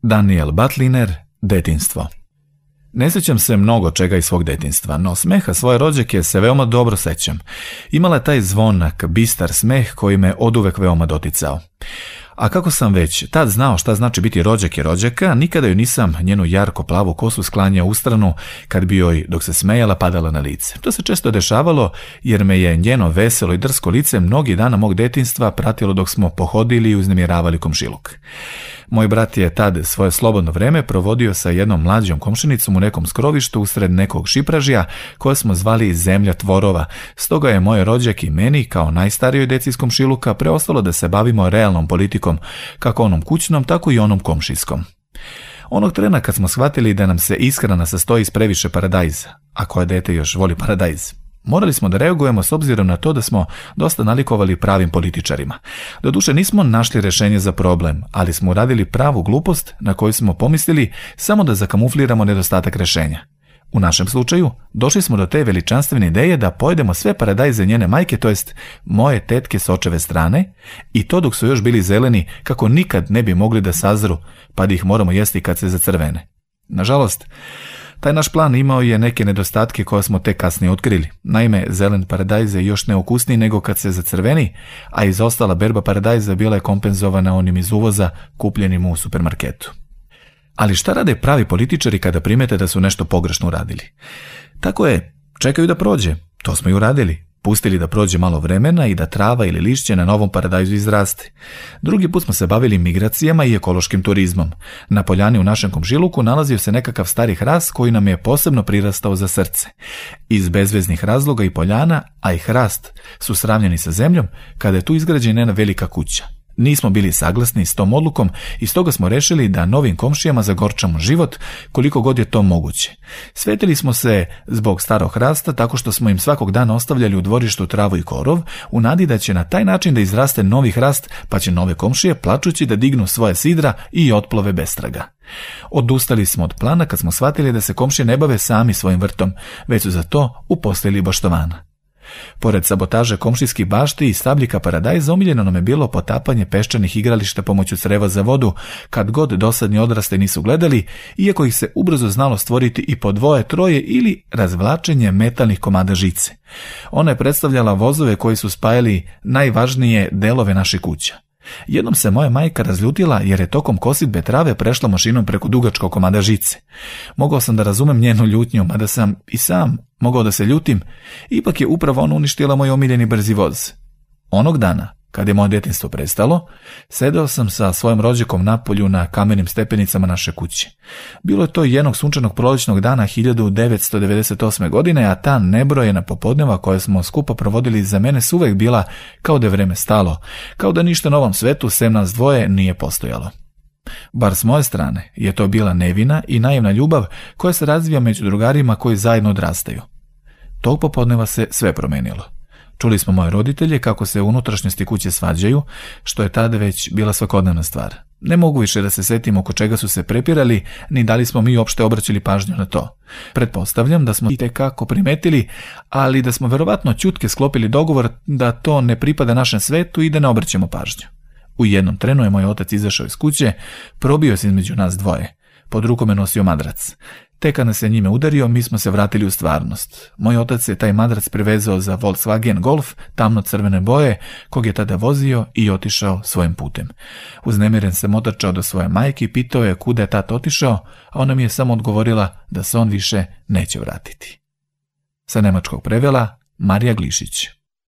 Daniel Batliner, Detinjstvo. Ne sjećam se mnogo čega iz svog detinjstva, no smeha svoje rođake se veoma dobro sećam. Imala je taj zvonak, bistar smeh koji me oduvek veoma doticao. A kako sam već tad znao šta znači biti rođak i rođaka, nikada joj nisam njenu jarko plavu kosu sklanjao u stranu kad bi joj, dok se smejala, padala na lice. To se često dešavalo jer me je njeno veselo i drsko lice mnogi dana mog detinjstva pratilo dok smo pohodili i uznemiravali komšiluk. Moj brat je tad svoje slobodno vreme provodio sa jednom mlađom komšinicom u nekom skrovištu usred nekog šipražija koje smo zvali Zemlja tvorova, stoga je moj rođak i meni, kao najstarijoj deci iz komšiluka, preostalo da se bavimo realnom politikom, kako onom kućnom, tako i onom komšijskom. Onog trena kad smo shvatili da nam se ishrana sastoji iz previše paradajza, a koje dete još voli paradajz, morali smo da reagujemo s obzirom na to da smo dosta nalikovali pravim političarima. Doduše nismo našli rešenje za problem, ali smo uradili pravu glupost na koju smo pomislili samo da zakamufliramo nedostatak rešenja. U našem slučaju došli smo do te veličanstvene ideje da pojedemo sve paradajze njene majke, to jest moje tetke s očeve strane, i to dok su još bili zeleni kako nikad ne bi mogli da sazru, pa da ih moramo jesti kad se zacrvene. Nažalost, taj naš plan imao je neke nedostatke koje smo tek kasnije otkrili. Naime, zelen paradajz je još neukusniji nego kad se zacrveni, a izostala berba paradajza bila je kompenzovana onim iz uvoza kupljenim u supermarketu. Ali šta rade pravi političari kada primete da su nešto pogrešno uradili? Tako je, čekaju da prođe. To smo i uradili. Pustili da prođe malo vremena i da trava ili lišće na novom paradajzu izraste. Drugi put smo se bavili migracijama i ekološkim turizmom. Na poljani u našem komšiluku nalazio se nekakav stari hrast koji nam je posebno prirastao za srce. Iz bezveznih razloga i poljana, a i hrast, su sravnjeni sa zemljom kada je tu izgrađena jedna velika kuća. Nismo bili saglasni s tom odlukom i stoga smo rešili da novim komšijama zagorčamo život koliko god je to moguće. Svetili smo se zbog starog hrasta tako što smo im svakog dana ostavljali u dvorištu travu i korov, u nadi da će na taj način da izraste novi hrast, pa će nove komšije plačući da dignu svoje sidra i otplove bestraga. Odustali smo od plana kad smo shvatili da se komšije ne bave sami svojim vrtom, već su za to uposlili baštovana. Pored sabotaže komšijskih bašti i stabljika paradajza, omiljeno nam je bilo potapanje peščanih igrališta pomoću creva za vodu, kad god dosadni odraste nisu gledali, iako ih se ubrzo znalo stvoriti i po dvoje, troje ili razvlačenje metalnih komada žice. Ona je predstavljala vozove koji su spajali najvažnije delove naših kuća. Jednom se moja majka razljutila jer je tokom kositbe trave prešla mašinom preko dugačkog komada žice. Mogao sam da razumem njenu ljutnju, mada sam i sam mogao da se ljutim, ipak je upravo ona uništila moj omiljeni brzi voz. Onog dana, kad je moje detinjstvo prestalo, sedeo sam sa svojim rođakom napolju na kamenim stepenicama naše kuće. Bilo je to jednog sunčanog prolećnog dana 1998. godine, a ta nebrojena popodneva koje smo skupo provodili za mene su uvek bila kao da je vreme stalo, kao da ništa na ovom svetu sem nas dvoje nije postojalo. Bar s moje strane je to bila nevina i naivna ljubav koja se razvija među drugarima koji zajedno odrastaju. Tog popodneva se sve promenilo. Čuli smo moje roditelje kako se u unutrašnjosti kuće svađaju, što je tada već bila svakodnevna stvar. Ne mogu više da se setim oko čega su se prepirali, ni da li smo mi uopšte obraćali pažnju na to. Pretpostavljam da smo i tekako primetili, ali da smo verovatno ćutke sklopili dogovor da to ne pripada našem svetu i da ne obraćamo pažnju. U jednom trenu je moj otac izašao iz kuće, probio se između nas dvoje. Pod rukom je nosio madrac. Tek kad nas je njime udario, mi smo se vratili u stvarnost. Moj otac je taj madrac privezao za Volkswagen Golf, tamno-crvene boje, kog je tada vozio i otišao svojim putem. Uznemiren sam otrčao do svoje majke i pitao je kuda je tata otišao, a ona mi je samo odgovorila da se on više neće vratiti. Sa nemačkog prevela Marija Glišić.